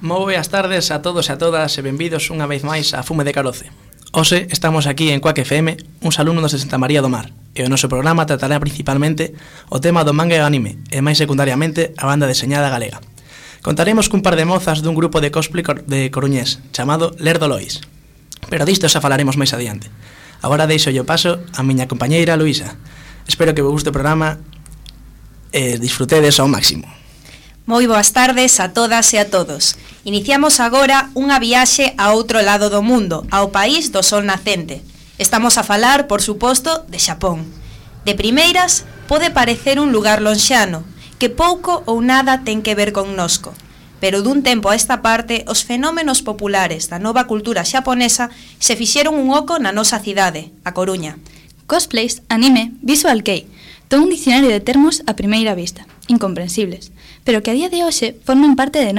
Moi boas tardes a todos e a todas e benvidos unha vez máis a Fume de Caroce. Hoxe estamos aquí en Cuac FM, uns alumnos de Santa María do Mar, e o noso programa tratará principalmente o tema do manga e o anime, e máis secundariamente a banda deseñada galega. Contaremos cun par de mozas dun grupo de cosplay de coruñés, chamado Lerdo Lois. Pero disto xa falaremos máis adiante. Agora deixo o paso a miña compañeira Luisa. Espero que vos guste o programa e disfrutedes ao máximo. Moi boas tardes a todas e a todos. Iniciamos agora unha viaxe a outro lado do mundo, ao país do sol nacente. Estamos a falar, por suposto, de Xapón. De primeiras, pode parecer un lugar lonxano, que pouco ou nada ten que ver connosco. Pero dun tempo a esta parte, os fenómenos populares da nova cultura xaponesa se fixeron un oco na nosa cidade, a Coruña. Cosplays, anime, visual kei, todo un dicionario de termos a primeira vista, incomprensibles, pero que a día de hoxe forman parte de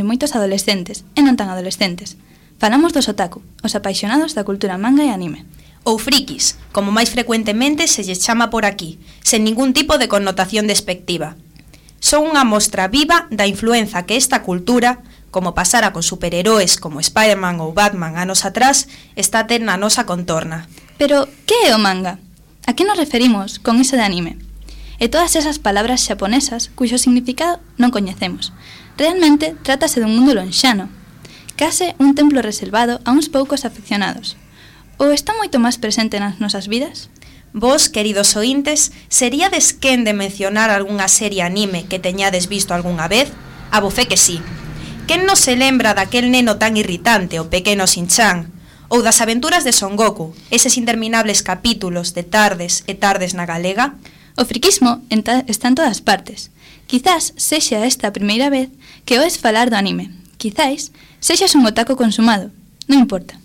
moitos adolescentes e non tan adolescentes. Falamos dos otaku, os apaixonados da cultura manga e anime. Ou frikis, como máis frecuentemente se lles chama por aquí, sen ningún tipo de connotación despectiva. Son unha mostra viva da influenza que esta cultura, como pasara con superheróis como Spider-Man ou Batman anos atrás, está a ter na nosa contorna. Pero, que é o manga? A que nos referimos con iso de anime? E todas esas palabras xaponesas cuxo significado non coñecemos. Realmente trátase dun mundo lonxano, case un templo reservado a uns poucos afeccionados. Ou está moito máis presente nas nosas vidas? Vos, queridos ointes, seríades quen de mencionar algunha serie anime que teñades visto algunha vez? A bofé que sí. Quen non se lembra daquel neno tan irritante, o pequeno Shin-chan? Ou das aventuras de Son Goku, eses interminables capítulos de tardes e tardes na galega? O friquismo está en todas partes. Quizás sexa esta a primeira vez que oes falar do anime. Quizás sexas un otaku consumado. Non importa.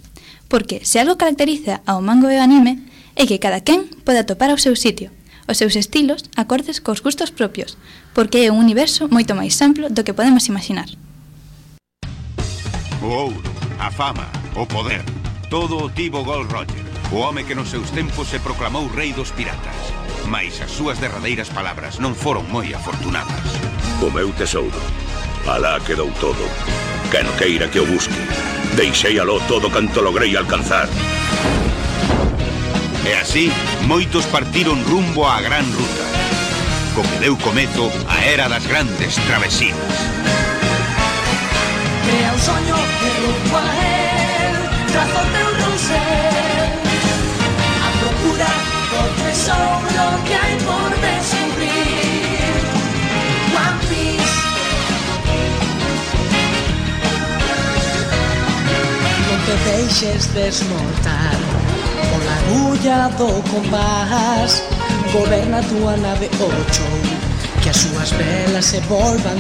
Porque se algo caracteriza ao manga e ao anime é que cada quen pode atopar o seu sitio, os seus estilos acordes cos gustos propios, porque é un universo moito máis amplo do que podemos imaginar. O ouro, a fama, o poder, todo o tivo Gold Roger, o home que nos seus tempos se proclamou rei dos piratas. Mais as súas derradeiras palabras non foron moi afortunadas. O meu tesouro, alá quedou todo. Quen queira que o busque, deixei aló todo canto logrei alcanzar. E así, moitos partiron rumbo á gran ruta, co que deu comezo a era das grandes travesías. Crea un soño de rumbo a él, trazo teu ronsel, a procura do tesouro que hai por descubrir. One Piece. Non te deixes desmontar pola agulla do compás, goberna a túa nave ocho, que as súas velas se volvan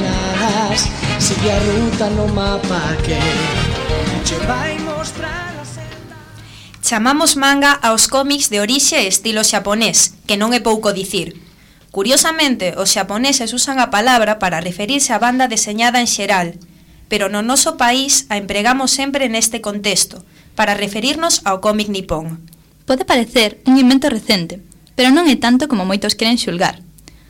as, sigue a ruta no mapa que che vai mostrar a senda. Chamamos manga aos cómics de orixe e estilo xaponés, que non é pouco dicir. Curiosamente, os xaponeses usan a palabra para referirse á banda deseñada en xeral, pero no noso país a empregamos sempre neste contexto, para referirnos ao cómic nipón. Pode parecer un invento recente, pero non é tanto como moitos queren xulgar.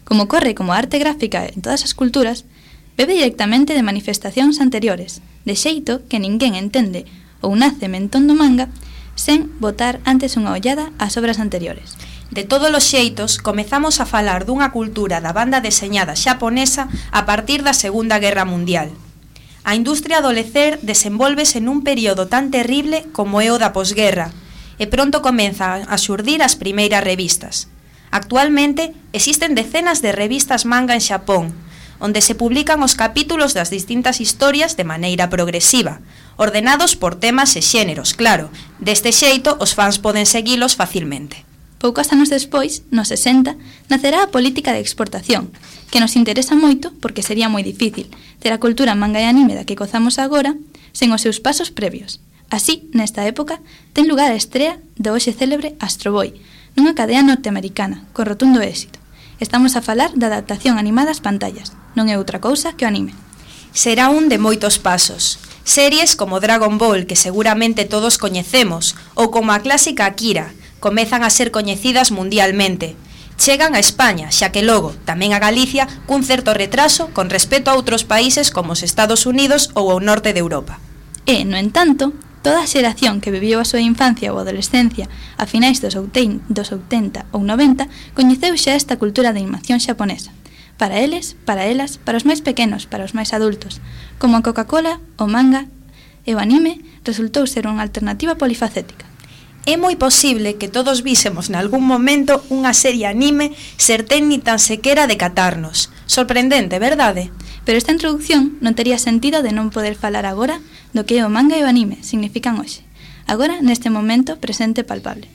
Como ocorre como arte gráfica en todas as culturas, bebe directamente de manifestacións anteriores, de xeito que ninguén entende ou nace mentón do manga sen botar antes unha ollada ás obras anteriores. De todos os xeitos, comezamos a falar dunha cultura da banda deseñada xaponesa a partir da Segunda Guerra Mundial. A industria do lecer desenvolvese nun período tan terrible como é o da posguerra, e pronto comeza a xurdir as primeiras revistas. Actualmente, existen decenas de revistas manga en Xapón, onde se publican os capítulos das distintas historias de maneira progresiva, ordenados por temas e xéneros, claro. Deste xeito, os fans poden seguilos facilmente. Poucos anos despois, nos 60, nacerá a política de exportación, que nos interesa moito porque sería moi difícil ter a cultura manga e anime da que gozamos agora sen os seus pasos previos. Así, nesta época, ten lugar a estrea do hoxe célebre Astro Boy, nunha cadea norteamericana, con rotundo éxito. Estamos a falar da adaptación animada ás pantallas, non é outra cousa que o anime. Será un de moitos pasos. Series como Dragon Ball, que seguramente todos coñecemos, ou como a clásica Akira, comezan a ser coñecidas mundialmente. Chegan a España, xa que logo tamén a Galicia cun certo retraso con respecto a outros países como os Estados Unidos ou o norte de Europa. E, no entanto, toda a xeración que viviu a súa infancia ou adolescencia a finais dos 80 ou 90 coñeceu xa esta cultura de animación xaponesa. Para eles, para elas, para os máis pequenos, para os máis adultos, como a Coca-Cola, o manga e o anime, resultou ser unha alternativa polifacética. É moi posible que todos vísemos nalgún momento unha serie anime ser ten ni tan sequera de catarnos. Sorprendente, verdade? Pero esta introducción non tería sentido de non poder falar agora do que o manga e o anime significan hoxe. Agora, neste momento, presente e palpable.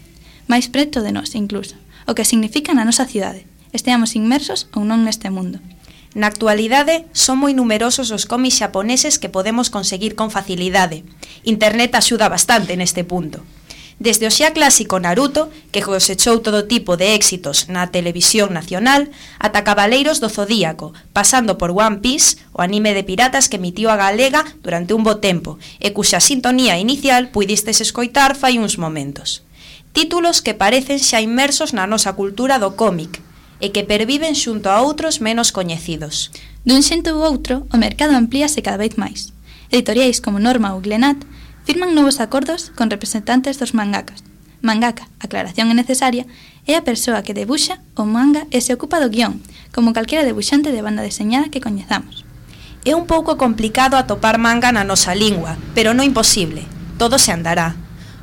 Mais preto de nós, incluso. O que significa na nosa cidade. Esteamos inmersos ou non neste mundo. Na actualidade, son moi numerosos os cómics xaponeses que podemos conseguir con facilidade. Internet axuda bastante neste punto. Desde o xa clásico Naruto, que cosechou todo tipo de éxitos na televisión nacional, ata Cabaleiros do Zodíaco, pasando por One Piece, o anime de piratas que emitiu a galega durante un bo tempo, e cuxa sintonía inicial puidistes escoitar fai uns momentos. Títulos que parecen xa inmersos na nosa cultura do cómic, e que perviven xunto a outros menos coñecidos. Dun xento ou outro, o mercado amplíase cada vez máis. Editoriais como Norma ou Glenat firman novos acordos con representantes dos mangakas. Mangaka, aclaración é necesaria, é a persoa que debuxa o manga e se ocupa do guión, como calquera debuxante de banda deseñada que coñezamos. É un pouco complicado atopar manga na nosa lingua, pero non imposible. Todo se andará.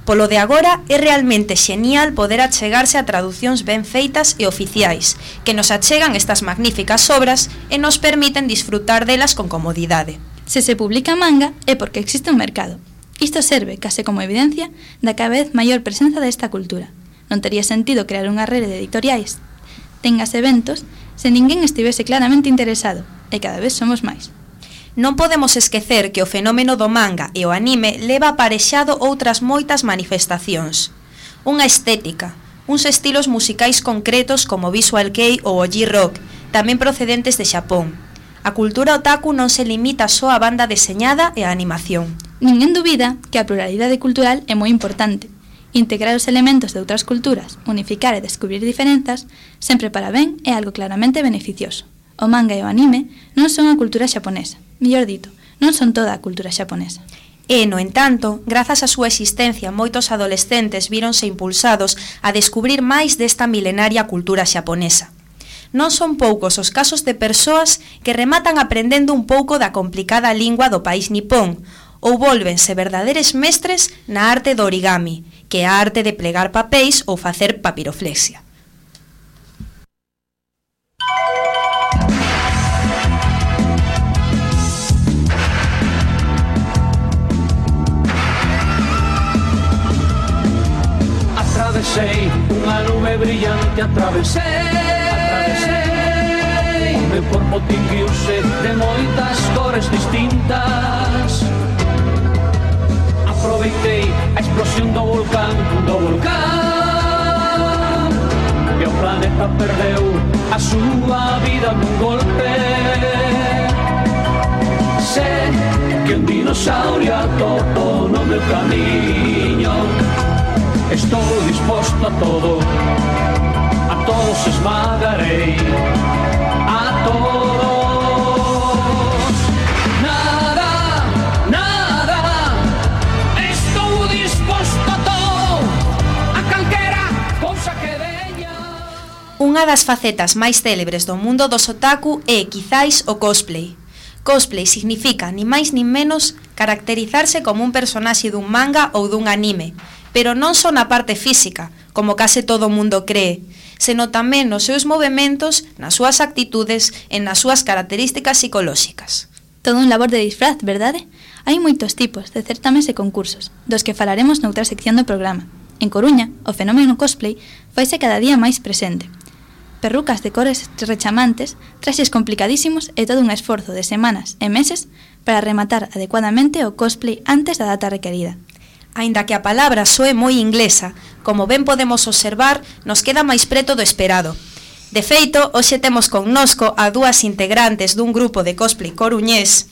Polo de agora, é realmente xenial poder achegarse a traducións ben feitas e oficiais, que nos achegan estas magníficas obras e nos permiten disfrutar delas con comodidade. Se se publica manga é porque existe un mercado. Isto serve, case como evidencia, da cada vez maior presenza desta cultura. Non tería sentido crear unha rede de editoriais, tengas eventos, se ninguén estivese claramente interesado, e cada vez somos máis. Non podemos esquecer que o fenómeno do manga e o anime leva aparexado outras moitas manifestacións. Unha estética, uns estilos musicais concretos como Visual Kei ou o J-Rock, tamén procedentes de Xapón. A cultura otaku non se limita só á banda deseñada e á animación. Ninguén dubida que a pluralidade cultural é moi importante. Integrar os elementos de outras culturas, unificar e descubrir diferenzas, sempre para ben é algo claramente beneficioso. O manga e o anime non son a cultura xaponesa. Mellor dito, non son toda a cultura xaponesa. E, no entanto, grazas á súa existencia, moitos adolescentes víronse impulsados a descubrir máis desta milenaria cultura xaponesa. Non son poucos os casos de persoas que rematan aprendendo un pouco da complicada lingua do país nipón, ou volvense verdadeiros mestres na arte do origami, que é a arte de plegar papéis ou facer papiroflexia. Atravesei unha nube brillante, atravesei o meu corpo tinguiuse de moitas cores distintas. Aproveitei a explosión do volcán e o planeta perdeu a súa vida nun golpe. Sé que un dinosaurio atopo no meu camiño. Estou disposto a todos esmagarei, a todos. Nada, estou disposto a todo, a calquera cousa que veña. Unha das facetas máis célebres do mundo dos otaku é, quizáis, o cosplay. Cosplay significa, ni máis nin menos, caracterizarse como un personaxe dun manga ou dun anime, pero non só na parte física, como case todo o mundo cree, senón tamén nos seus movementos, nas súas actitudes e nas súas características psicolóxicas. Todo un labor de disfraz, verdade? Hai moitos tipos de certames e concursos, dos que falaremos noutra sección do programa. En Coruña, o fenómeno cosplay faise cada día máis presente. Perrucas de cores rechamantes, traxes complicadísimos e todo un esforzo de semanas e meses para rematar adecuadamente o cosplay antes da data requerida. Aínda que a palabra soe moi inglesa, como ben podemos observar, nos queda máis preto do esperado. De feito, hoxe temos connosco a dúas integrantes dun grupo de cosplay coruñés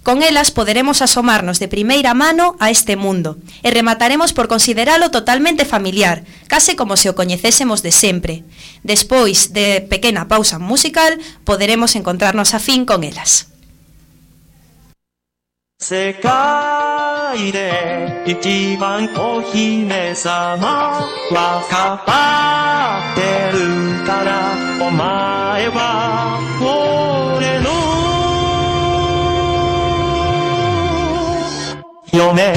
Con elas poderemos asomarnos de primeira mano a este mundo e remataremos por consideralo totalmente familiar, case como se o coñecésemos de sempre. Despois de pequena pausa musical, poderemos encontrarnos a fin con elas. 世界で一番お姫様はかばってるからお前は俺の嫁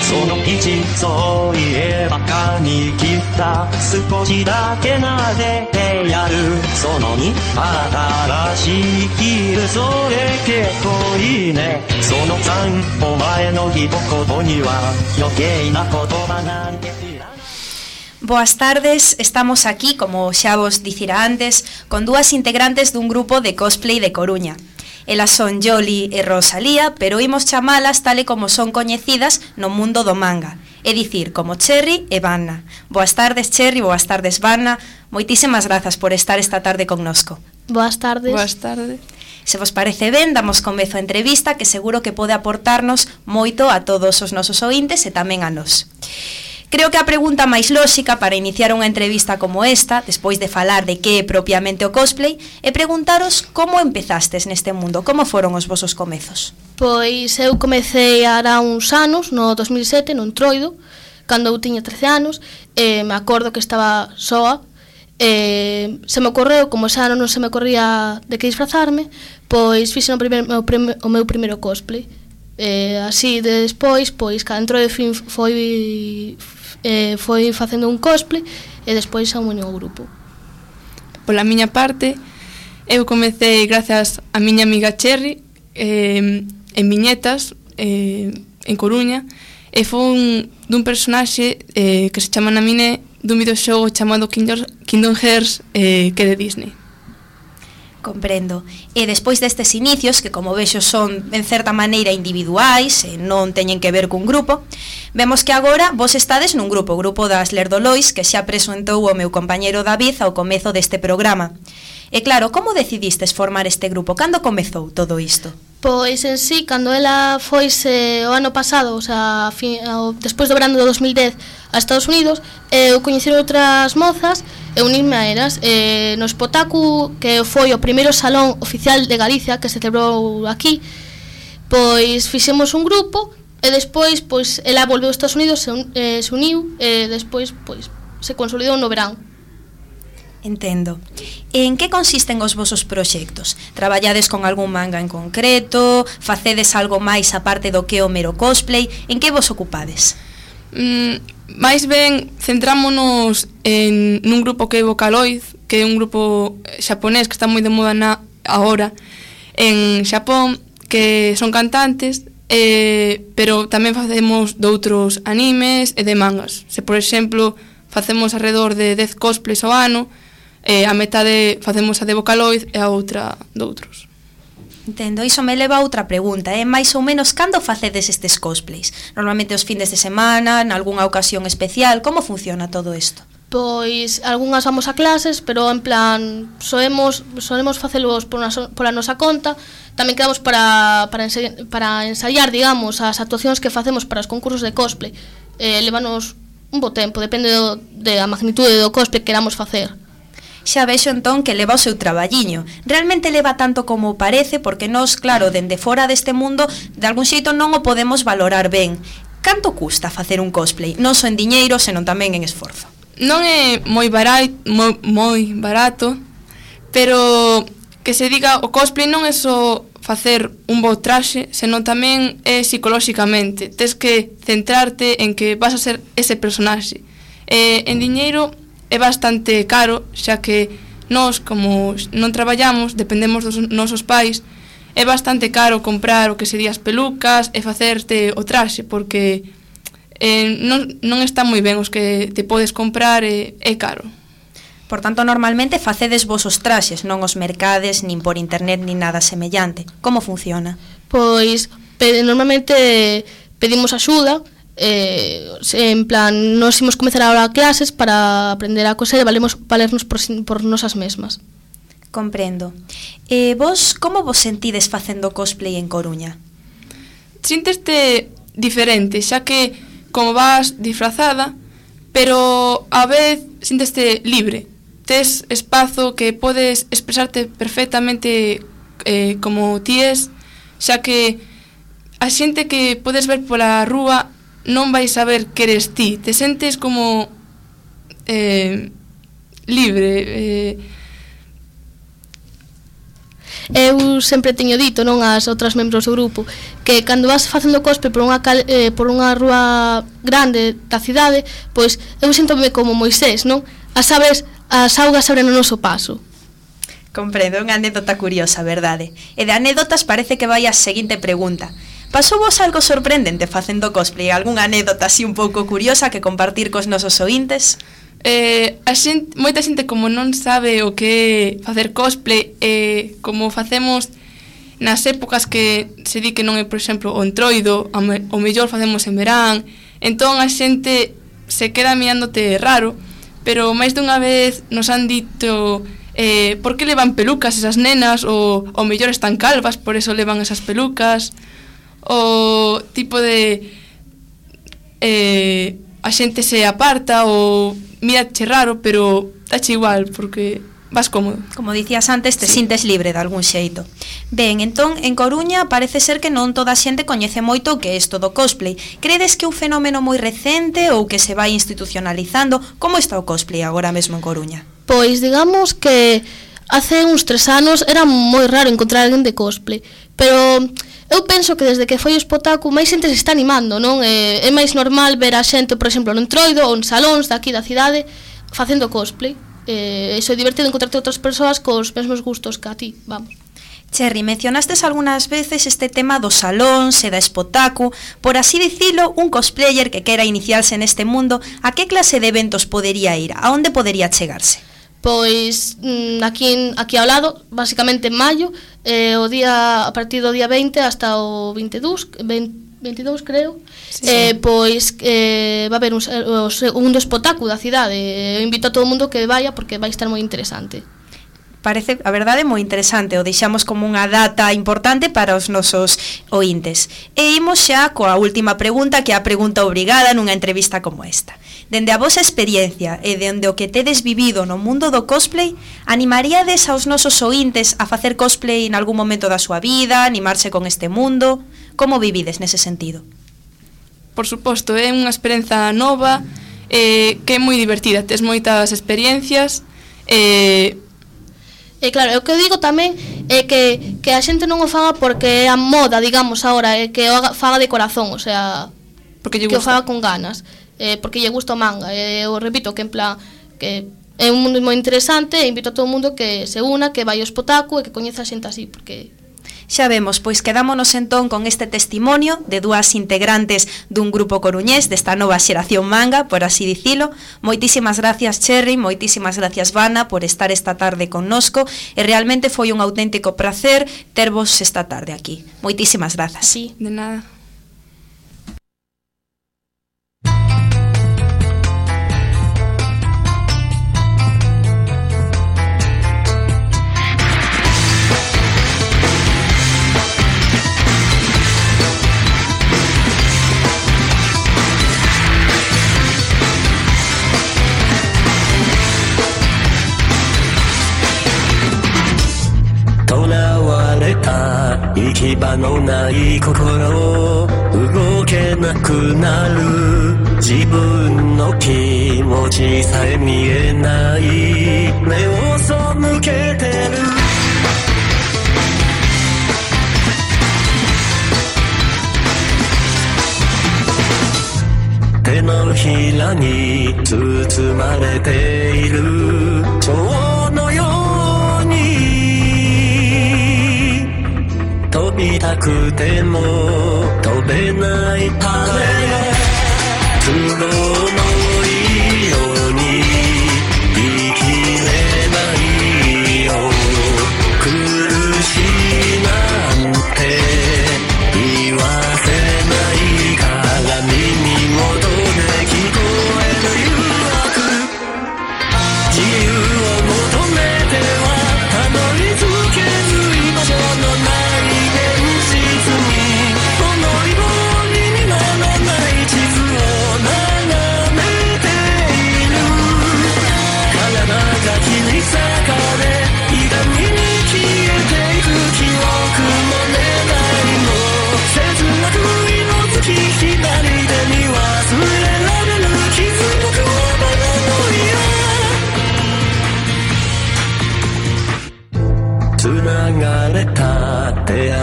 その一そういえばかに切った少しだけ撫でてやるその2新しい生きるそれ結構いいねその3お前の一言には余計な言葉なんていらない Boas tardes, estamos aquí, como xa vos dicira antes, con dúas integrantes dun grupo de cosplay de Coruña. Elas son Yoli e Rosalía, pero imos chamalas tal e como son coñecidas no mundo do manga, é dicir, como Cherry e Vanna. Boas tardes, Cherry, boas tardes, Vanna. Moitísimas grazas por estar esta tarde connosco. Boas tardes. Boas tardes. Se vos parece ben, damos comezo a entrevista que seguro que pode aportarnos moito a todos os nosos ointes e tamén a nós. Creo que a pregunta máis lóxica para iniciar unha entrevista como esta, despois de falar de que é propiamente o cosplay, é preguntaros como empezastes neste mundo, como foron os vosos comezos. Pois eu comecei hará uns anos, no 2007, no Entroido, cando eu tiña 13 anos, me acordo que estaba soa, se me ocorreu, como xa non se me ocorría de que disfrazarme, pois fixen o meu primeiro cosplay. Así, despois, pois, cada Entroido foi facendo un cosplay e despois se uniu ao grupo. Pola miña parte, eu comecei grazas a miña amiga Cherry en Viñetas, en Coruña, e foi dun personaxe que se chama Naminé dun videoxogo chamado Kingdom Hearts que é de Disney. Comprendo. E despois destes inicios, que como vexo son en certa maneira individuais e non teñen que ver cun grupo, vemos que agora vos estades nun grupo, o grupo das Lerdolois, que xa presentou o meu compañeiro David ao comezo deste programa. E claro, como decidistes formar este grupo? Cando comezou todo isto? Pois en sí, cando ela foise o ano pasado, o sea, despois do verano do 2010 a Estados Unidos, eu coñeci outras mozas e unirme a elas no Spotaku, que foi o primeiro salón oficial de Galicia que se celebrou aquí, pois fixemos un grupo e despois pois ela volveu aos Estados Unidos, se uniu e despois pois se consolidou no verán. Entendo. En que consisten os vosos proxectos? Traballades con algún manga en concreto? Facedes algo máis aparte do que o mero cosplay? En que vos ocupades? Mais ben, centrámonos nun grupo que é Vocaloid, que é un grupo xaponés que está moi de moda agora en Xapón, que son cantantes, pero tamén facemos doutros animes e de mangas. Se, por exemplo, facemos alrededor de 10 cosplays ao ano, a metade facemos a de Vocaloid e a outra doutros. Entendo, iso me leva a outra pregunta, máis ou menos cando facedes estes cosplays? Normalmente os findes de semana, en algunha ocasión especial, como funciona todo isto? Pois algunhas vamos a clases, pero en plan solemos facelos pola nosa conta. Tamén quedamos para ensaiar, digamos, as actuacións que facemos para os concursos de cosplay. Levanos un bo tempo, depende da magnitude do cosplay que queramos facer. Xa vexo entón que leva o seu traballiño. Realmente leva tanto como parece, porque nós, claro, dende fora deste mundo, de algún xeito non o podemos valorar ben. Canto custa facer un cosplay? Non só en diñeiro, senón tamén en esforzo. Non é moi barato, pero que se diga, o cosplay non é só facer un bo traxe, senón tamén é psicolóxicamente. Tes que centrarte en que vas a ser ese personaxe. En diñeiro é bastante caro, xa que nós, como non traballamos, dependemos dos nosos pais, é bastante caro comprar o que sería as pelucas e facerte o traxe, porque non está moi ben os que te podes comprar e é caro. Por tanto, normalmente facedes vos os traxes, non os mercades, nin por internet, nin nada semellante. Como funciona? Pois, normalmente pedimos axuda, en plan, nos imos comezar agora clases para aprender a coser e valernos por nosas mesmas. Comprendo. Vos, como vos sentides facendo cosplay en Coruña? Sínteste diferente, xa que como vas disfrazada, pero a vez sínteste libre. Tes espazo que podes expresarte perfectamente como ti es, xa que a xente que podes ver pola rúa non vai saber que eres ti. Te sentes como libre. Eu sempre teño dito, non, as outras membros do grupo, que cando vas facendo cosplay por unha rúa grande da cidade, pois eu sinto-me como Moisés, non? As augas abren o noso paso. Comprendo, unha anécdota curiosa, verdade? E de anécdotas parece que vai a seguinte pregunta. Pasou vos algo sorprendente facendo cosplay? Algúnha anécdota así un pouco curiosa que compartir cos nosos ointes? Moita xente como non sabe o que é facer cosplay, como facemos nas épocas que se di que non é, por exemplo, o entroido, o mellor facemos en verán, entón a xente se queda mirándote raro, pero máis dunha vez nos han dito por que levan pelucas esas nenas, ou o mellor están calvas, por eso levan esas pelucas, o tipo de a xente se aparta ou mirache raro, pero dache igual, porque vas cómodo. Como dicías antes, te sintes libre de algún xeito. Ben, entón, en Coruña parece ser que non toda a xente coñece moito o que é isto do cosplay. Credes que é un fenómeno moi recente ou que se vai institucionalizando? Como está o cosplay agora mesmo en Coruña? Pois digamos que hace uns 3 anos era moi raro encontrar alguén de cosplay, pero eu penso que desde que foi o Spotaku máis xente se está animando, non? É máis normal ver a xente, por exemplo, no entroido ou en salóns daqui da cidade facendo cosplay. Iso é divertido encontrarte outras persoas cos mesmos gustos que a ti, vamos. Cherry, mencionastes algunhas veces este tema dos salóns e da Spotaku. Por así dicilo, un cosplayer que quera iniciarse neste mundo, a que clase de eventos podería ir? A onde podería chegarse? Pois aquí ao lado, basicamente en maio, a partir do día 20 hasta o 22 creo, sí. Pois va a haber un segundo Spotaku da cidade. Eu invito a todo o mundo que vaya porque vai estar moi interesante. Parece, a verdade, moi interesante. O deixamos como unha data importante para os nosos ointes. E imos xa coa última pregunta, que é a pregunta obrigada nunha entrevista como esta. Dende a vosa experiencia e dende o que tedes vivido no mundo do cosplay, animaríades aos nosos ointes a facer cosplay en algún momento da súa vida, animarse con este mundo? Como vivides nese sentido? Por suposto, é unha experiencia nova, que é moi divertida. Tes moitas experiencias, claro, o que eu digo tamén é que a xente non o faga porque é a moda, digamos, agora, é que o faga de corazón, o sea, porque que o faga con ganas, porque lle gusta o manga. Eu repito que en plan que é un mundo moi interesante e invito a todo o mundo que se una, que vai ao Spotaku e que coñeza a xente así, porque xa vemos, pois quedámonos entón con este testimonio de dúas integrantes dun grupo coruñés desta nova xeración manga, por así dicilo. Moitísimas gracias, Cherry, moitísimas gracias, Vana, por estar esta tarde connosco, e realmente foi un auténtico placer tervos esta tarde aquí. Moitísimas grazas. Sí, de nada.行き場のない心動けなくなる自分の気持ちさえ見えない目を背けてる手のひらに包まれている蝶のように飛びたくても飛べない羽都合のいいように生きれないよ苦しいなんて言わせないから耳も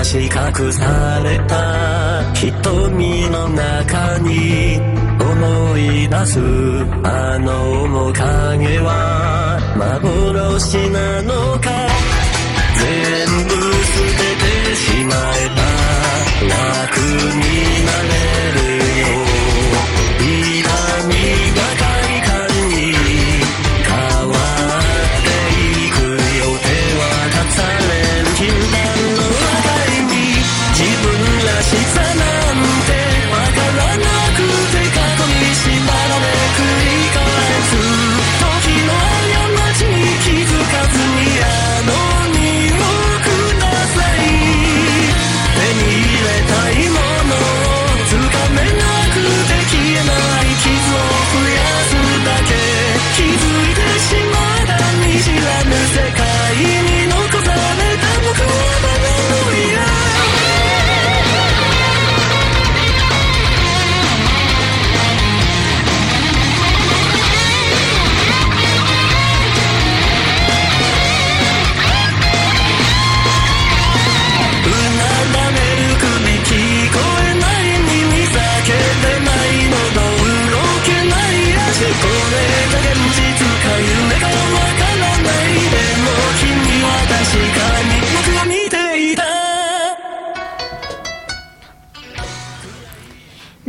し隠された瞳の中に思い出すあの面影は幻なのか全部捨ててしまえば楽になれるよ痛みが快感に変わっていくよ手は隠される禁断の破壊に自分らしさなんてわからなくて過去に縛られ繰り返す時の過ちに気づかずにあの身をください手に入れたいものをつかめなくて消えない傷を増やすだけ気づいてしまった見知らぬ世界に残された僕はバカの嫌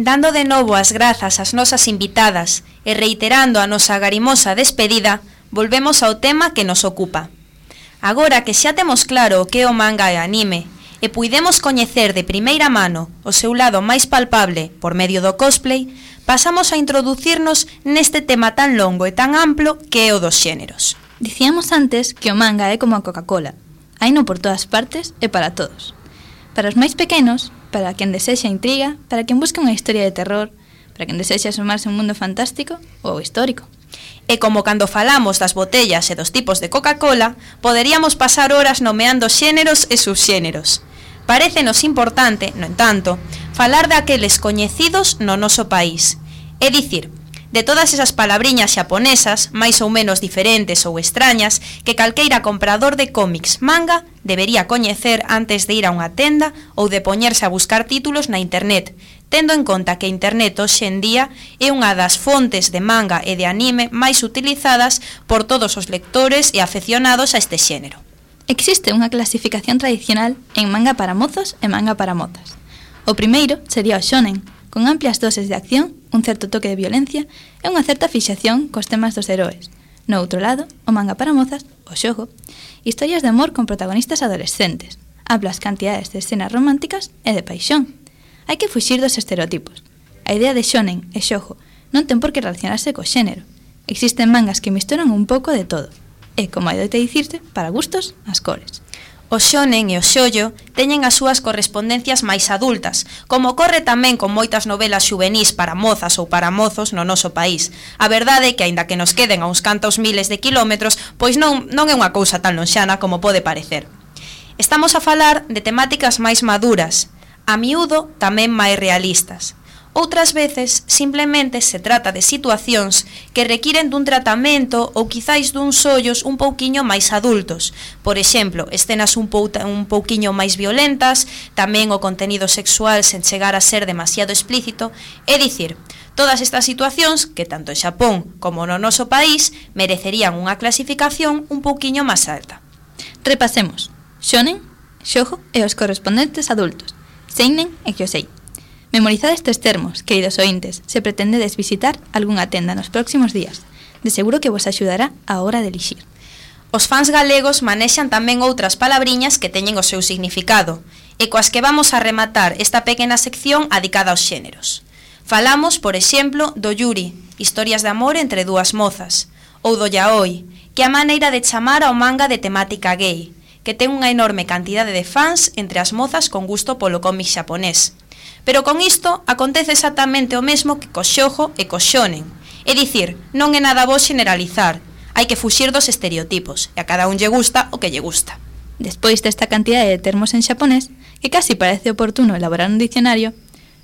Dando de novo as grazas ás nosas invitadas e reiterando a nosa garimosa despedida, volvemos ao tema que nos ocupa. Agora que xa temos claro o que é o manga e anime, e puidemos coñecer de primeira mano o seu lado máis palpable por medio do cosplay, pasamos a introducirnos neste tema tan longo e tan amplo que é o dos xéneros. Dicíamos antes que o manga é como a Coca-Cola. Haino por todas partes e para todos. Para os máis pequenos, para quen desexa intriga, para quen busca unha historia de terror, para quen desexa sumarse a un mundo fantástico ou histórico. E como cando falamos das botellas e dos tipos de Coca-Cola, poderíamos pasar horas nomeando xéneros e subxéneros. Parécenos importante, no entanto, falar daqueles coñecidos no noso país. É dicir, de todas esas palabriñas xaponesas, máis ou menos diferentes ou extrañas, que calqueira comprador de cómics manga debería coñecer antes de ir a unha tenda ou de poñerse a buscar títulos na internet, tendo en conta que a internet hoxe en día é unha das fontes de manga e de anime máis utilizadas por todos os lectores e afeccionados a este xénero. Existe unha clasificación tradicional en manga para mozos e manga para mozas. O primeiro sería o shonen, con amplias doses de acción, un certo toque de violencia e unha certa fixación cos temas dos heróes. No outro lado, o manga para mozas, o shoujo, historias de amor con protagonistas adolescentes, amplas cantidades de escenas románticas e de paixón. Hai que fuxir dos estereotipos. A idea de shonen e shoujo non ten por que relacionarse co xénero. Existen mangas que misturan un pouco de todo. E, como hai de dicirse, para gustos, as cores. O shonen e o shoujo teñen as súas correspondencias máis adultas, como ocorre tamén con moitas novelas xuvenís para mozas ou para mozos no noso país. A verdade é que, aínda que nos queden a uns cantos miles de kilómetros, pois non é unha cousa tan lonxana como pode parecer. Estamos a falar de temáticas máis maduras, a miúdo tamén máis realistas. Outras veces, simplemente se trata de situacións que requiren dun tratamento ou quizáis duns ollos un pouquiño máis adultos. Por exemplo, escenas un pouquiño máis violentas, tamén o contenido sexual sen chegar a ser demasiado explícito, é dicir, todas estas situacións que tanto en Xapón como no noso país merecerían unha clasificación un pouquiño máis alta. Repasemos: shonen, shoujo e os correspondentes adultos, seinen e kyosei. Memorizad estes termos, queridos ointes, se pretendedes visitar algunha tenda nos próximos días. De seguro que vos axudará a hora de elixir. Os fans galegos manexan tamén outras palabriñas que teñen o seu significado, e coas que vamos a rematar esta pequena sección adicada aos xéneros. Falamos, por exemplo, do yuri, historias de amor entre dúas mozas, ou do yaoi, que é a maneira de chamar ao manga de temática gay, que ten unha enorme cantidade de fans entre as mozas con gusto polo cómic xaponés. Pero con isto acontece exactamente o mesmo que co shoujo e co shonen. É dicir, non é nada bo generalizar, hai que fuxir dos estereotipos, e a cada un lle gusta o que lle gusta. Despois desta cantidade de termos en xaponés, que casi parece oportuno elaborar un diccionario,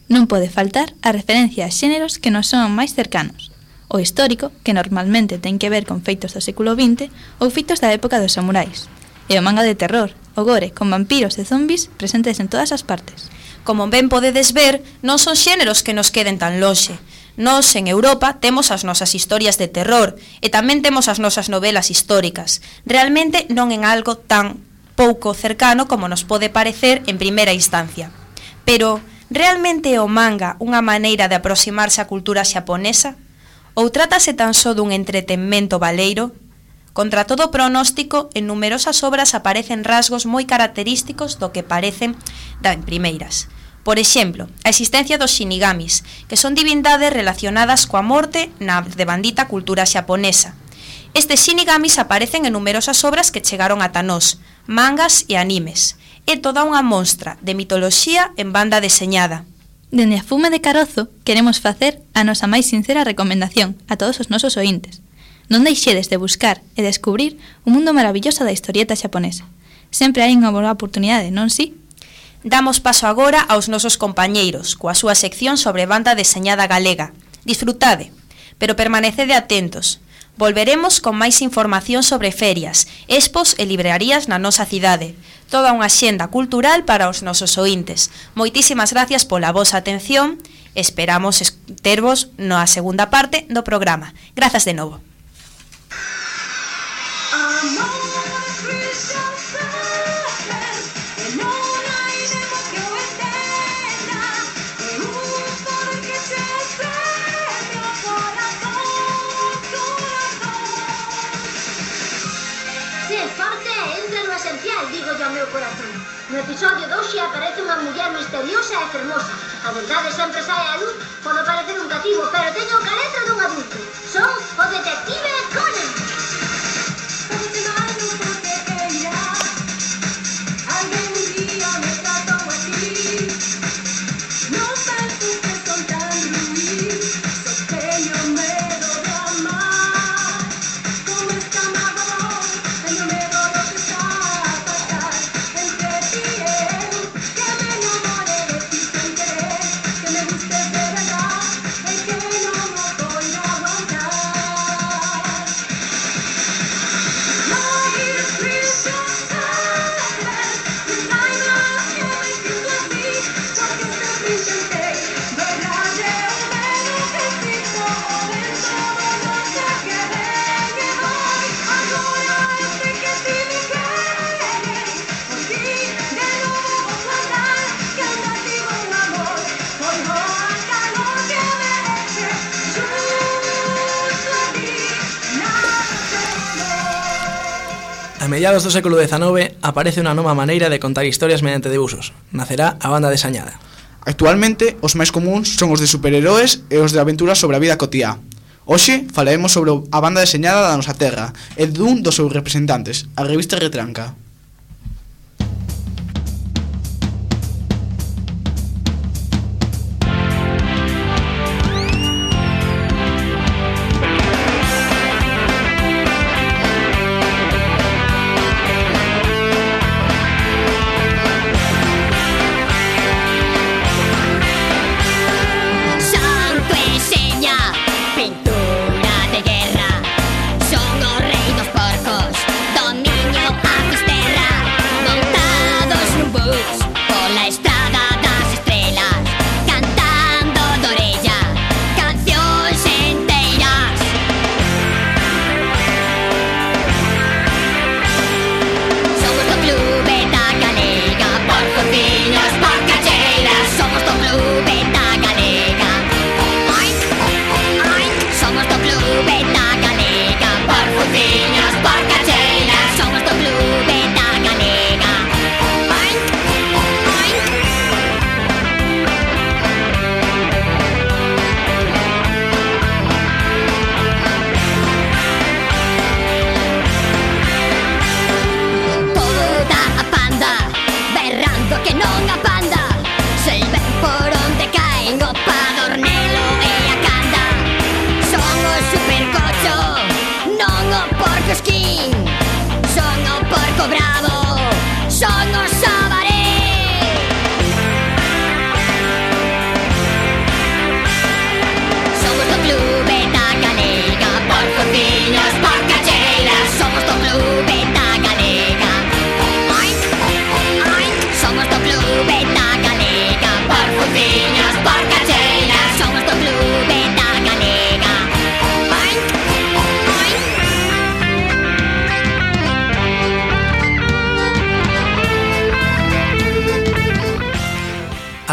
non pode faltar a referencia a xéneros que nos son máis cercanos. O histórico, que normalmente ten que ver con feitos do século XX ou feitos da época dos samurais. E o manga de terror, o gore con vampiros e zombis presentes en todas as partes. Como ben podedes ver, non son xéneros que nos queden tan lonxe. Nós, en Europa, temos as nosas historias de terror e tamén temos as nosas novelas históricas. Realmente non en algo tan pouco cercano como nos pode parecer en primeira instancia. Pero, realmente é o manga unha maneira de aproximarse á cultura xaponesa? Ou trátase tan só dun entretenmento baleiro? Contra todo pronóstico, en numerosas obras aparecen rasgos moi característicos do que parecen en primeiras. Por exemplo, a existencia dos shinigamis, que son divindades relacionadas coa morte na devandita cultura xaponesa. Estes shinigamis aparecen en numerosas obras que chegaron ata nós, mangas e animes. É toda unha mostra de mitoloxía en banda deseñada. Dende a Fume de Carozo queremos facer a nosa máis sincera recomendación a todos os nosos ointes. Non deixedes de buscar e descubrir o mundo maravilloso da historieta xaponesa. Sempre hai unha boa oportunidade, non si? Damos paso agora aos nosos compañeiros, coa súa sección sobre banda deseñada galega. Disfrutade, pero permanecede atentos. Volveremos con máis información sobre ferias, expos e librarías na nosa cidade. Toda unha xenda cultural para os nosos ointes. Moitísimas gracias pola vosa atención. Esperamos tervos na segunda parte do programa. Grazas de novo. Digo yo ao meu corazón. No episodio de hoxe aparece unha muller misteriosa e fermosa. A verdade sempre sae a luz, pode parecer un cativo, pero teño o careto dun adulto. Son o detective Conan. A mediados do século XIX aparece unha nova maneira de contar historias mediante debuxos. Nacerá a banda deseñada. Actualmente, os máis comuns son os de superheróis e os de aventuras sobre a vida cotiá. Hoxe falaremos sobre a banda deseñada da nosa terra e dun dos seus representantes, a revista Retranca. Pintura de guerra, son os rei dos porcos, dominio a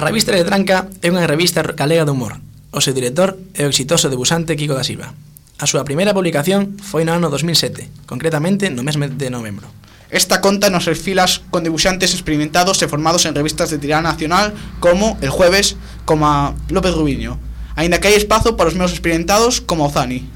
revista Letranca é unha revista galega de humor. O seu director é o exitoso debusante Kiko da Silva. A súa primeira publicación foi no ano 2007, concretamente no mes de novembro. Esta conta nos filas con dibuixantes experimentados e formados en revistas de tirada nacional como El Jueves, como a López Rubiño, aínda que hai espazo para os menos experimentados como o Zani.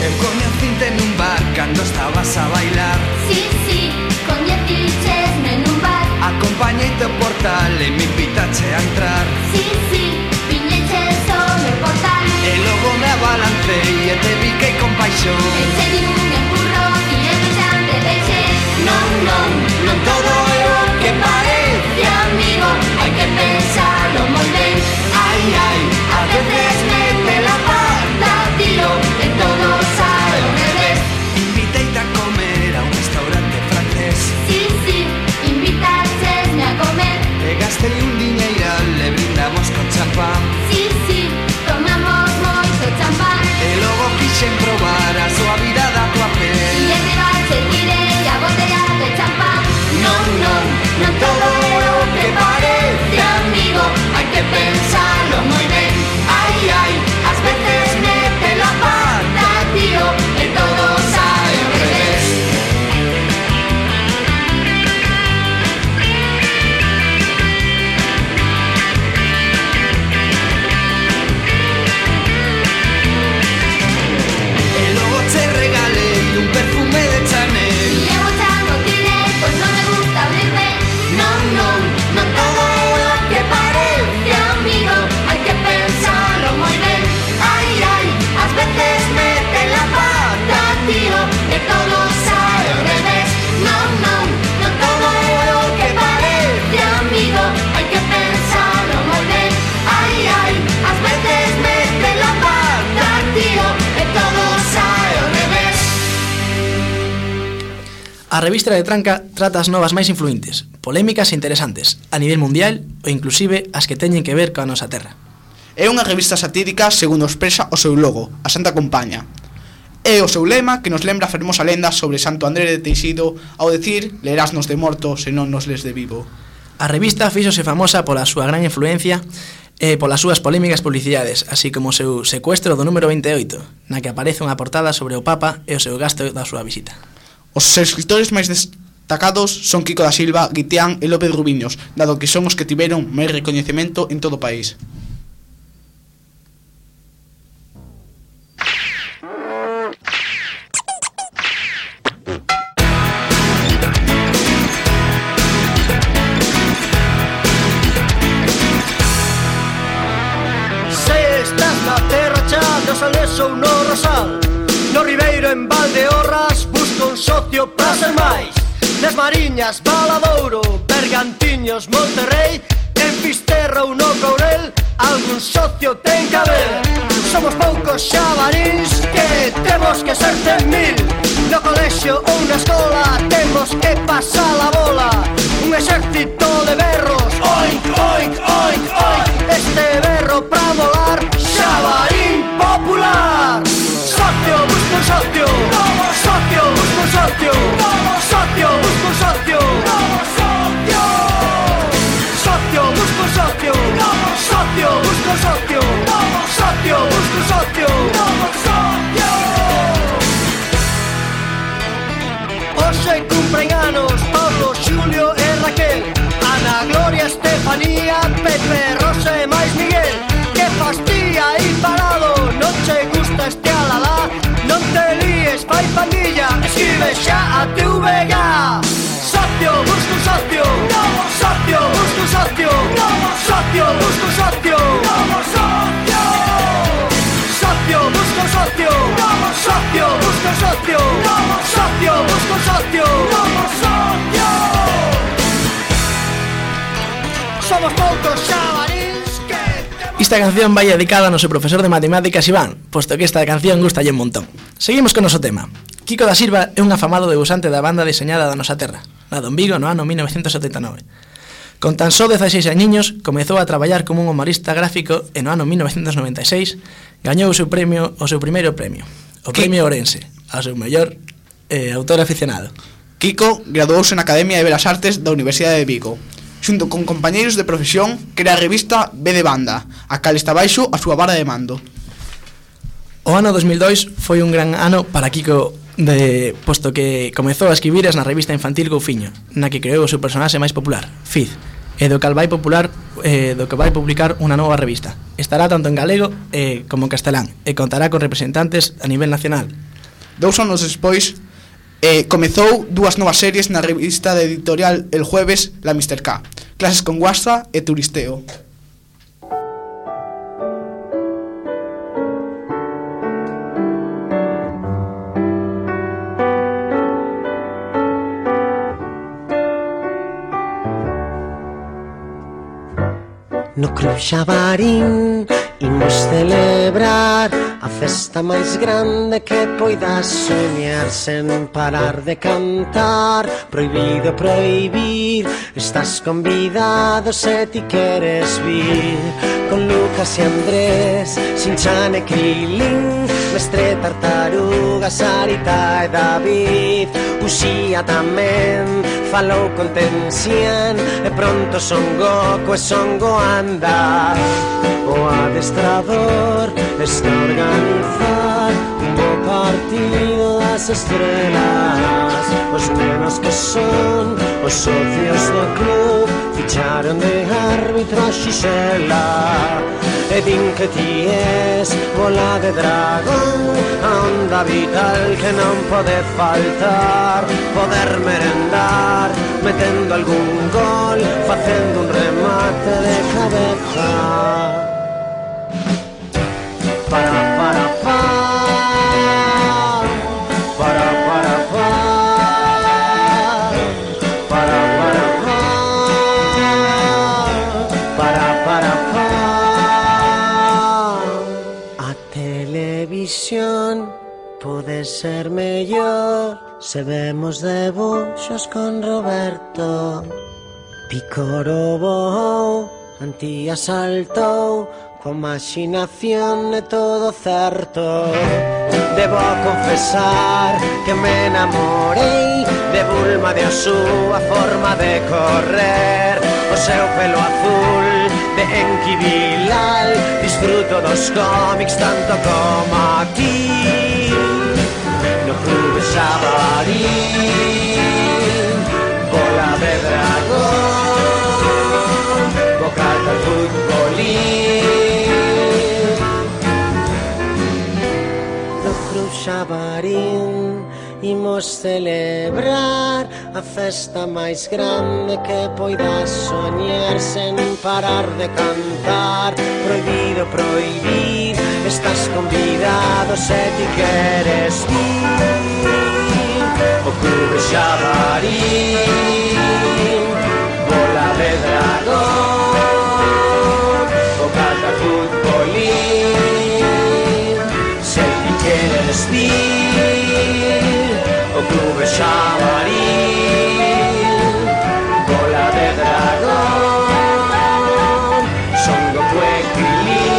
Eu coñecinte nun bar cando estabas a bailar. Sí, sí, coñecichesme nun bar. Acompañeite ao portal e me invitache a entrar. Sí, sí, viñeches o meu portal. E logo me abalancei e te biquei con paixón. E che di un empurrón e eu xa te deixei. Non, non, non todo é o que parece, amigo. Hai que pensarlo moi ben. Ai, ai, a veces mete la pata, tío, e todo sae ao revés. Inviteite a comer a un restaurante francés. Sí, sí, invitachesme a comer. E gastei un diñeiral e brindamos con champán. Sí, sí, tomamos moito champán. E logo quixen probar a suavidade da tua pel. E en ribache tirei a botella de champán. Non, non, non todo é o que parece, amigo. Hai que pensarlo moi ben. Ai, ai, ás veces mete la pata, tío, e todo sae ao revés. E logo che regalei un perfume de Chanel. E eu xa non tirei, pois non me gusta abrirme. Non, non, non todo é o que parece, amigo. Hai que pensarlo moi ben. Ai, ai, ás veces mete la pata, tío, e todo sae ao revés. Non, non, non todo é o que parece, amigo. Hai que pensarlo moi ben. Ai, ai, ás veces mete la pata, tío, e todo sae ao revés. A revista Letranca trata as novas máis influentes, polémicas e interesantes, a nivel mundial ou inclusive as que teñen que ver coa nosa terra. É unha revista satírica segundo expresa o seu logo, a Santa Compaña. É o seu lema que nos lembra a fermosa lenda sobre Santo André de Teixido ao decir lerásnos de morto se non nos les de vivo. A revista fíxose famosa pola súa gran influencia e polas súas polémicas publicidades, así como o seu secuestro do número 28, na que aparece unha portada sobre o Papa e o seu gasto da súa visita. Os escritores máis destacados son Kiko da Silva, Guitián e López Rubiños, dado que son os que tiveron máis recoñecemento en todo o país. Se estás na terra xa dos Ales ou no Rosal, no Ribeiro en Valdeorras, busca un socio para ser máis. Nas Mariñas, Valadouro, Bergantiños, Monterrey, en Fisterra ou no Courel, algún socio ten que haber. Somos poucos xabarís que temos que ser 100.000. No colexio ou na escola temos que pasar a bola. Un exército de berros, oink, oink, oink, oink. Este berro pra volar, xabarín popular. Socio, busco un socio. Socio, busco un socio. Socio, busco un socio. Socio, busco un socio. Socio, busco un socio. Socio, busco un socio. Hoxe cumpren anos Pablo, Xulio e Raquel, Ana, Gloria, Estefanía, Pepe, Rosa e máis Miguel. Que fastía aí parado, non che gusta este alalá, non te líes, fai pandilla, escribe xa a TVG. Socio, busco un socio. Socio, busco un socio. Socio, busco un socio. Socio, busco un socio. Socio, busco un socio. Socio, busco un socio. Somos poucos xabarís que... Esta canción vai dedicada ao noso profesor de matemáticas Iván, posto que esta canción gustalle un montón. Seguimos con o noso tema. Kiko da Silva é un afamado debusante da banda deseñada da nosa terra, nado en Vigo no ano 1979. Con tan só 16 añiños, comezou a traballar como un humorista gráfico e no ano 1996 gañou o seu primeiro premio, o Premio Ourense, ao seu mellor autor aficionado. Kiko graduouse na Academia de Belas Artes da Universidade de Vigo. Xunto con compañeiros de profesión, crea a revista B de Banda, a cal está baixo a súa vara de mando. O ano 2002 foi un gran ano para Kiko, posto que comezou a escribires na revista infantil Goufiño, na que creou o seu personaxe máis popular, Fiz, e do que vai publicar unha nova revista. Estará tanto en galego como en castelán e contará con representantes a nivel nacional. 2 anos despois, comezou 2 novas series na revista de editorial El Jueves, La Mr. K, Clases con Guastra e Turisteo. No Club Xabarín imos celebrar a festa máis grande que poidas soñar sen parar de cantar. Prohibido prohibir, estás convidado se ti queres vir. Con Lucas e Andrés, Sinchan e Krilin, Mestre, Tartaruga, Sarita e David. Uxía tamén falou con Tensian, e pronto Son Goku e Son Goanda. O adestrador está a organizar un bo partido das estrelas. Os nenos que son os socios do club ficharon de árbitro a Xisela. E din que ti es bola de dragón, a onda vital que non pode faltar. Poder merendar metendo algún gol, facendo un remate de cabeza. Pode ser mellor se vemos debuxos con Roberto. Picoro voou, Antía saltou, coa imaginación é todo certo. Debo confesar que me enamorei de Bulma, de a súa forma de correr, o seu pelo azul de Enki Bilal. Disfruto dos cómics tanto como aquí no Club Xabarín. Bola de dragón, bocata futbolín. No Club Xabarín imos celebrar a festa máis grande que poidas soñar sen parar de cantar. Prohibido prohibir, estás convidado se ti queres vir. O Club Xabarín, bola de dragón, bocata futbolín. Se ti queres vir, o Club Xabarín, bola de dragón, Son Goku e Krilin.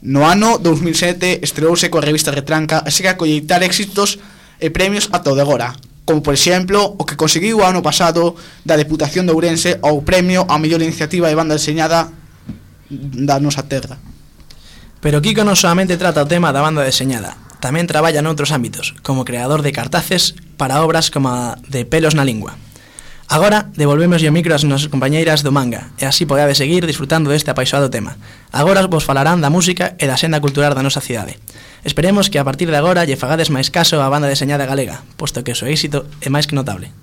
No ano 2007 estreouse coa revista Retranca e segue a colleitar éxitos e premios ata o de agora, como por exemplo o que conseguiu o ano pasado da Deputación de Ourense ao premio a mellor iniciativa de banda deseñada da nosa terra. Pero Kiko non solamente trata o tema da banda deseñada, tamén traballa noutros ámbitos, como creador de cartaces para obras como a de Pelos na Lingua. Agora devolvemos o micro ás nosas compañeiras do manga, e así podades seguir disfrutando deste apaixonado tema. Agora vos falarán da música e da senda cultural da nosa cidade. Esperemos que a partir de agora lle fagades máis caso á banda deseñada galega, posto que o seu éxito é máis que notable.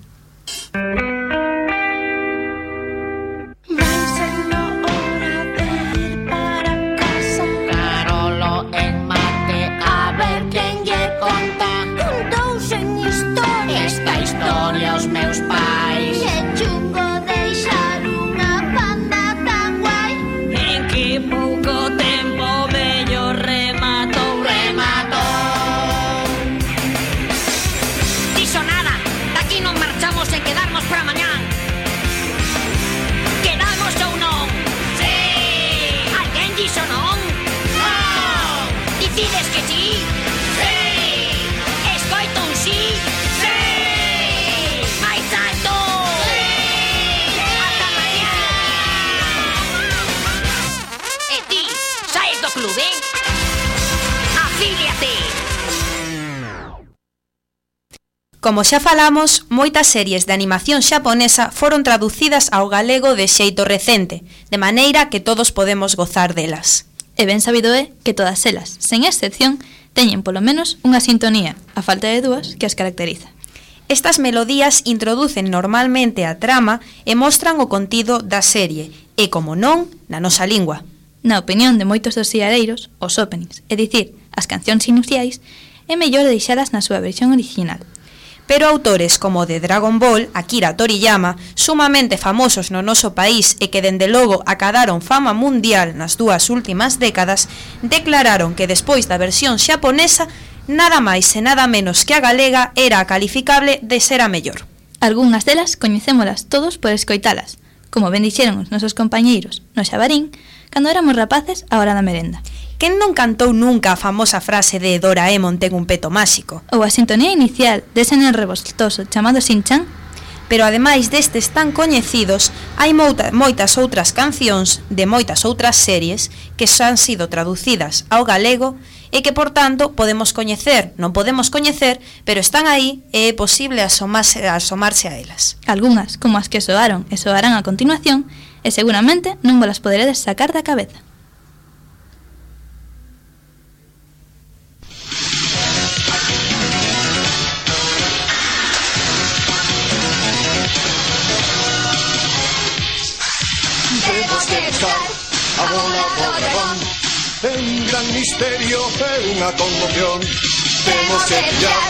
Como xa falamos, moitas series de animación xaponesa foron traducidas ao galego de xeito recente, de maneira que todos podemos gozar delas. E ben sabido é que todas elas, sen excepción, teñen polo menos unha sintonía, a falta de dúas, que as caracteriza. Estas melodías introducen normalmente a trama e mostran o contido da serie, e, como non, na nosa lingua. Na opinión de moitos dos siareiros, os openings, é dicir, as cancións iniciais, é mellor deixalas na súa versión original. Pero autores como o de Dragon Ball, Akira Toriyama, sumamente famosos no noso país e que dende logo acadaron fama mundial nas dúas últimas décadas, declararon que despois da versión xaponesa, nada máis e nada menos que a galega era a calificable de ser a mellor. Algúnas delas coñecémolas todos por escoitalas, como ben dixeron os nosos compañeiros no Xabarín, cando éramos rapaces á hora da merenda. Quen non cantou nunca a famosa frase de Doraemon ten un peto máxico? Ou a sintonía inicial dese nen revoltoso chamado Shin-chan? Pero ademais destes tan coñecidos, hai moitas outras cancións de moitas outras series que xa han sido traducidas ao galego e que, por tanto, podemos coñecer, non podemos coñecer, pero están aí e é posible asomarse a elas. Algúnas, como as que soaron e soarán a continuación, e seguramente non vos las poderedes sacar da cabeza. A bola do dragón, é un gran misterio, é unha conmoción. Temos que pillar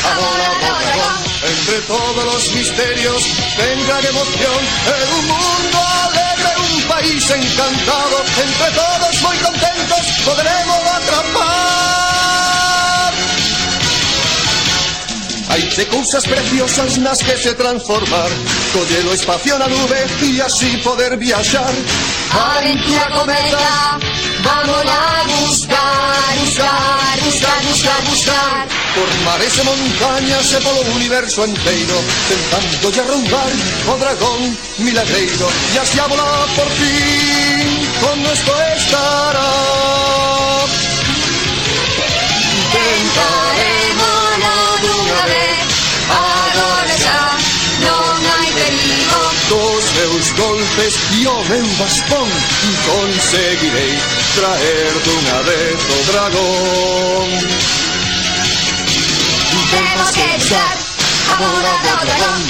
a bola do dragón. Entre todos os misterios ten gran emoción. É un mundo alegre, un país encantado. Entre todos moi contentos poderemos atrapar. Hai de cousas preciosas nas que se transformar, coller o espacio na nube e así poder viaxar. Aventura cometa, vámonos a buscar, buscar, buscar, buscar, buscar. Por mares e montañas e polo universo enteiro, tentando lle arrumbar o dragón milagreiro. E así a volar por fin, con nuestro estará. Tentaremoslo dunha vez, agora xa non hai perigo. Dos meus golpes e o meu bastón conseguirei traer dunha vez o dragón. Temos que echar a bola do dragón.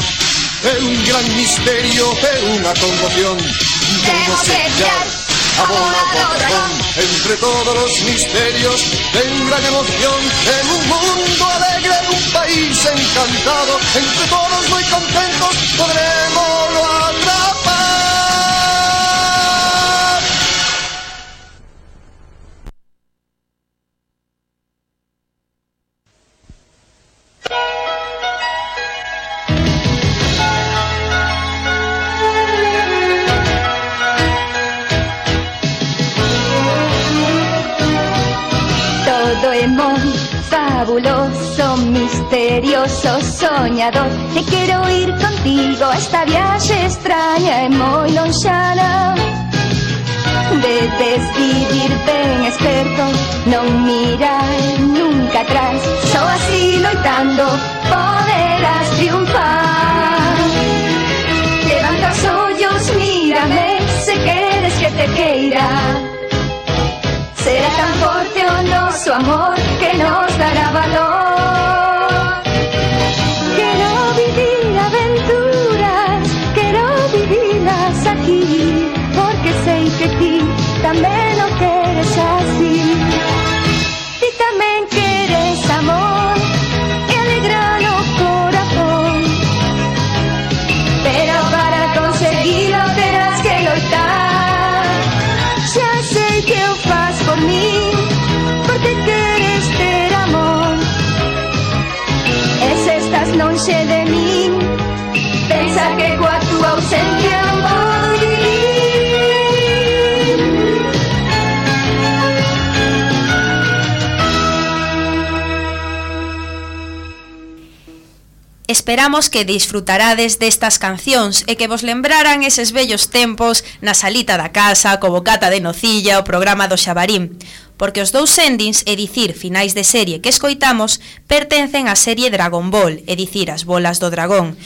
É un gran misterio, é unha conmoción. Temos que echar a bola do dragón. Entre todos os misterios ten gran emoción. En un mundo alegre, un país encantado, entre todos moi contentos podremoslo atrapar. Doraemon, fabuloso, misterioso, soñador. Te quero ir contigo a esta viaxe extraña e moi lonxana. Debes vivir ben experto, non mirar nunca atrás. Só así loitando poderás triunfar. Levanta os ollos, mírame, se queres que te queira. Será tan forte o noso amor que nos dará valor. Quero vivir aventuras, quero vivirlas aquí, porque sei que ti tamén o queres así. Ti tamén queres amor e alegrar o corazón, pero para conseguilo terás que loitar. Xa sei que o faz por mí, porque queres ter amor. E se estás lonxe de min, pensa que coa túa ausencia non podo vivir. Esperamos que disfrutarades destas cancións e que vos lembraran eses vellos tempos na salita da casa, co bocata de nocilla, o programa do Xabarín. porque os dous endings, é dicir, finais de serie que escoitamos, pertencen á serie Dragon Ball, é dicir, as bolas do dragón.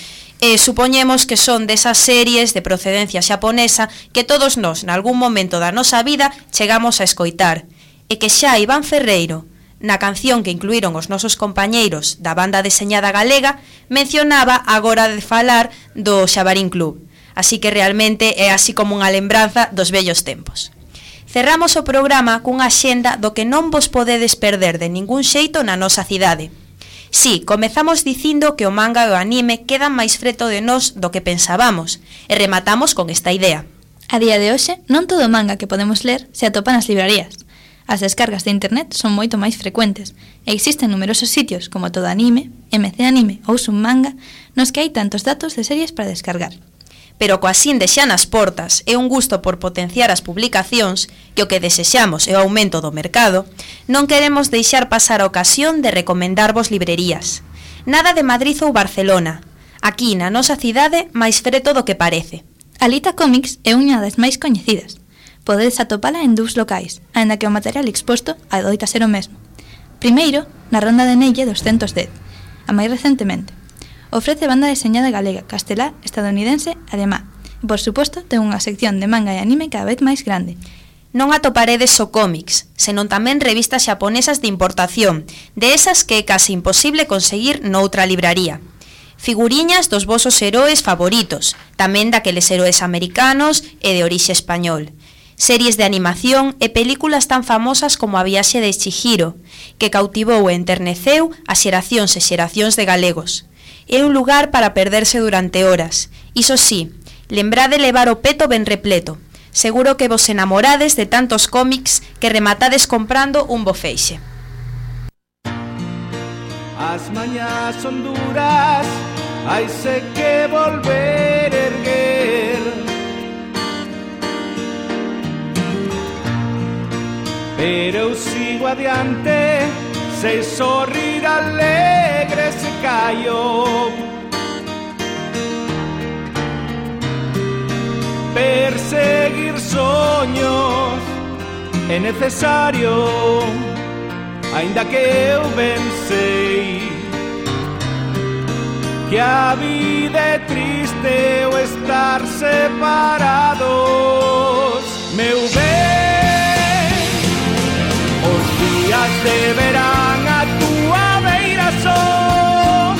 E supoñemos que son desas series de procedencia xaponesa que todos nós, nalgún momento da nosa vida, chegamos a escoitar. E que xa Iván Ferreiro, na canción que incluíron os nosos compañeiros da banda deseñada galega, mencionaba agora de falar do Xabarín Club. Así que realmente é así como unha lembranza dos vellos tempos. Cerramos o programa cunha axenda do que non vos podedes perder de ningún xeito na nosa cidade. Si, comezamos dicindo que o manga e o anime quedan máis freto de nós do que pensábamos, e rematamos con esta idea. A día de hoxe, non todo o manga que podemos ler se atopa nas librarías. As descargas de internet son moito máis frecuentes, e existen numerosos sitios como Todo Anime, MC Anime ou Sun Manga, nos que hai tantos datos de series para descargar. Pero coa sinde xa nas portas e un gusto por potenciar as publicacións, que o que desexamos é o aumento do mercado, non queremos deixar pasar a ocasión de recomendarvos librerías. Nada de Madrid ou Barcelona. Aquí, na nosa cidade, máis freto do que parece. Alita Comics é unha das máis coñecidas. Podedes atopala en dous locais, aínda que o material exposto adoita ser o mesmo. Primeiro, na Ronda de Nelle 210, a máis recentemente. Ofrece banda deseñada galega, castelá, estadounidense, alemá. E, por suposto, ten unha sección de manga e anime cada vez máis grande. Non atoparedes só cómics, senón tamén revistas xaponesas de importación, de esas que é case imposible conseguir noutra libraría. Figuriñas dos vosos heróes favoritos, tamén daqueles heróes americanos e de orixe español. Series de animación e películas tan famosas como A viaxe de Chihiro, que cautivou e enterneceu a xeracións e xeracións de galegos. É un lugar para perderse durante horas. Iso sí, lembrade levar o peto ben repleto. Seguro que vos enamorades de tantos cómics que rematades comprando un bo feixe. As mañas son duras, haise que volver erguer. Pero eu sigo adiante, sei sorrir alegre se callo. Perseguir soños é necesario, aínda que eu ben sei que a vida é triste o estar separados. Meu ben, os días de verán a túa beira son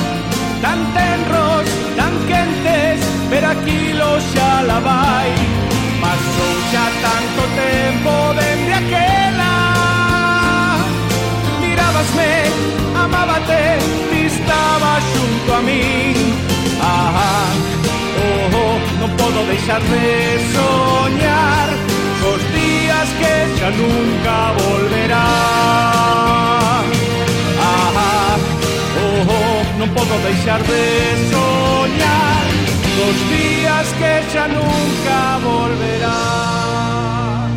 tan tenros, tan quentes, pero aquilo xa la vai. Pasou xa tanto tempo dende aquela. Mirábasme, amábate, ti estaba xunto a min. Non podo deixar de soñar cos días que xa nunca volverán. Non podo deixar de soñar cos días que xa nunca volverán.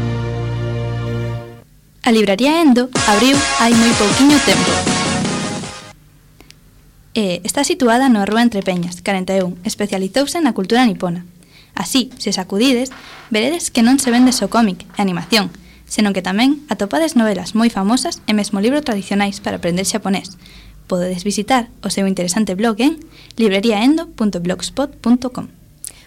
A libraría Endo abriu hai moi pouquiño tempo. Está situada na rúa Entre Peñas, 41, especializouse na cultura nipona. Así, se sacudides, veredes que non se vende só cómic e animación, senón que tamén atopades novelas moi famosas e mesmo libros tradicionais para aprender xaponés. Podedes visitar o seu interesante blog en libreriaendo.blogspot.com.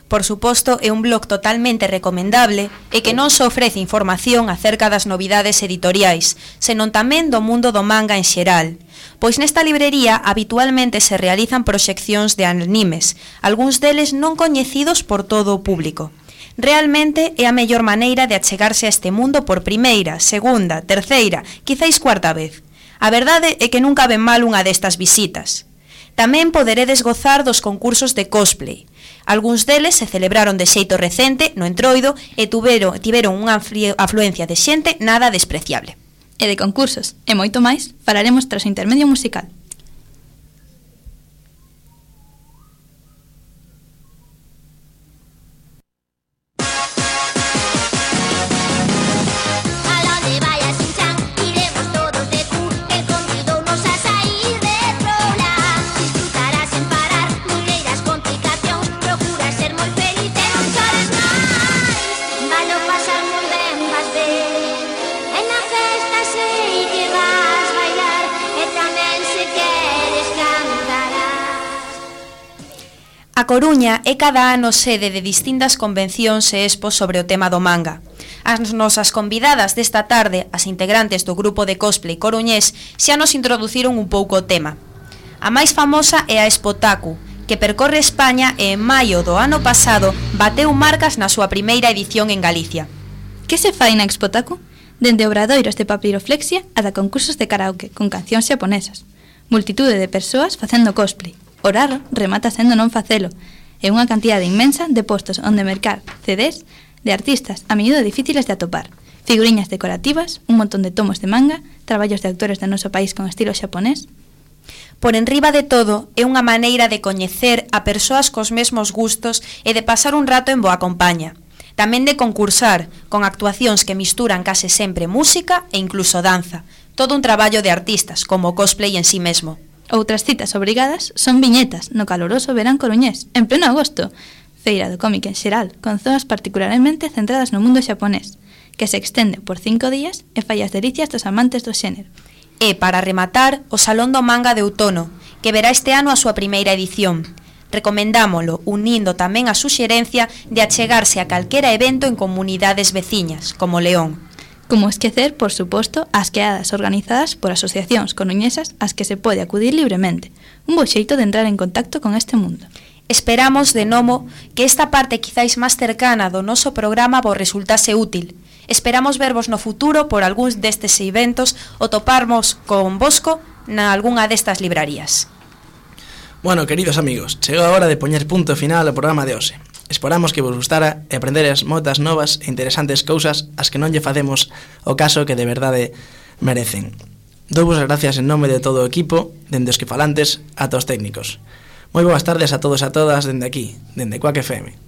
Por suposto, é un blog totalmente recomendable e que non só ofrece información acerca das novidades editoriais, senón tamén do mundo do manga en xeral. Pois nesta librería habitualmente se realizan proxeccións de animes, algúns deles non coñecidos por todo o público. Realmente é a mellor maneira de achegarse a este mundo por primeira, segunda, terceira, quizáis cuarta vez. A verdade é que nunca ven mal unha destas visitas. Tamén poderedes gozar dos concursos de cosplay. Algúns deles se celebraron de xeito recente no Entroido e tiveron unha afluencia de xente nada despreciable. E de concursos e moito máis falaremos tras o intermedio musical. Pasar moi ben, vas ver, e na festa se A Coruña é cada ano sede de distintas convencións e expos sobre o tema do manga. As nosas convidadas desta tarde, as integrantes do grupo de cosplay coruñés, xa nos introduciron un pouco o tema. A máis famosa é a Expotaku, que percorre España e en maio do ano pasado bateu marcas na súa primeira edición en Galicia. Que se fai na Expotaku? Dende obradoiros de papiroflexia ata concursos de karaoke con cancións xaponesas. Multitude de persoas facendo cosplay. O raro remata sendo non facelo, e unha cantidade inmensa de postos onde mercar CDs de artistas a miúdo difíciles de atopar, figuriñas decorativas, un montón de tomos de manga, traballos de autores do noso país con estilo xaponés. Por enriba de todo, é unha maneira de coñecer a persoas cos mesmos gustos e de pasar un rato en boa compaña. Tamén de concursar, con actuacións que misturan case sempre música e incluso danza. Todo un traballo de artistas, como o cosplay en sí mesmo. Outras citas obrigadas son viñetas no caloroso verán coruñés, en pleno agosto, feira do cómic en xeral, con zonas particularmente centradas no mundo xaponés, que se extende por 5 días e fai as delicias dos amantes do xénero. E, para rematar, o Salón do Manga de Outono, que verá este ano a súa primeira edición. Recomendámolo, unindo tamén a suxerencia de achegarse a calquera evento en comunidades veciñas, como León. Como esquecer, por suposto, as quedadas organizadas por asociacións coruñesas ás que se pode acudir libremente. Un bo xeito de entrar en contacto con este mundo. Esperamos, de novo, que esta parte quizáis máis cercana do noso programa vos resultase útil. Esperamos vervos no futuro por algúns destes eventos ou toparmos con vosco na algunha destas librarías. Bueno, queridos amigos, chegou a hora de poñer punto final ao programa de hoxe. Esperamos que vos gustara e aprenderes moitas novas e interesantes cousas as que non lle facemos o caso que de verdade merecen. Douvos as gracias en nome de todo o equipo, dende os que falantes ata os técnicos. Moi boas tardes a todos e a todas dende aquí, dende Quack FM.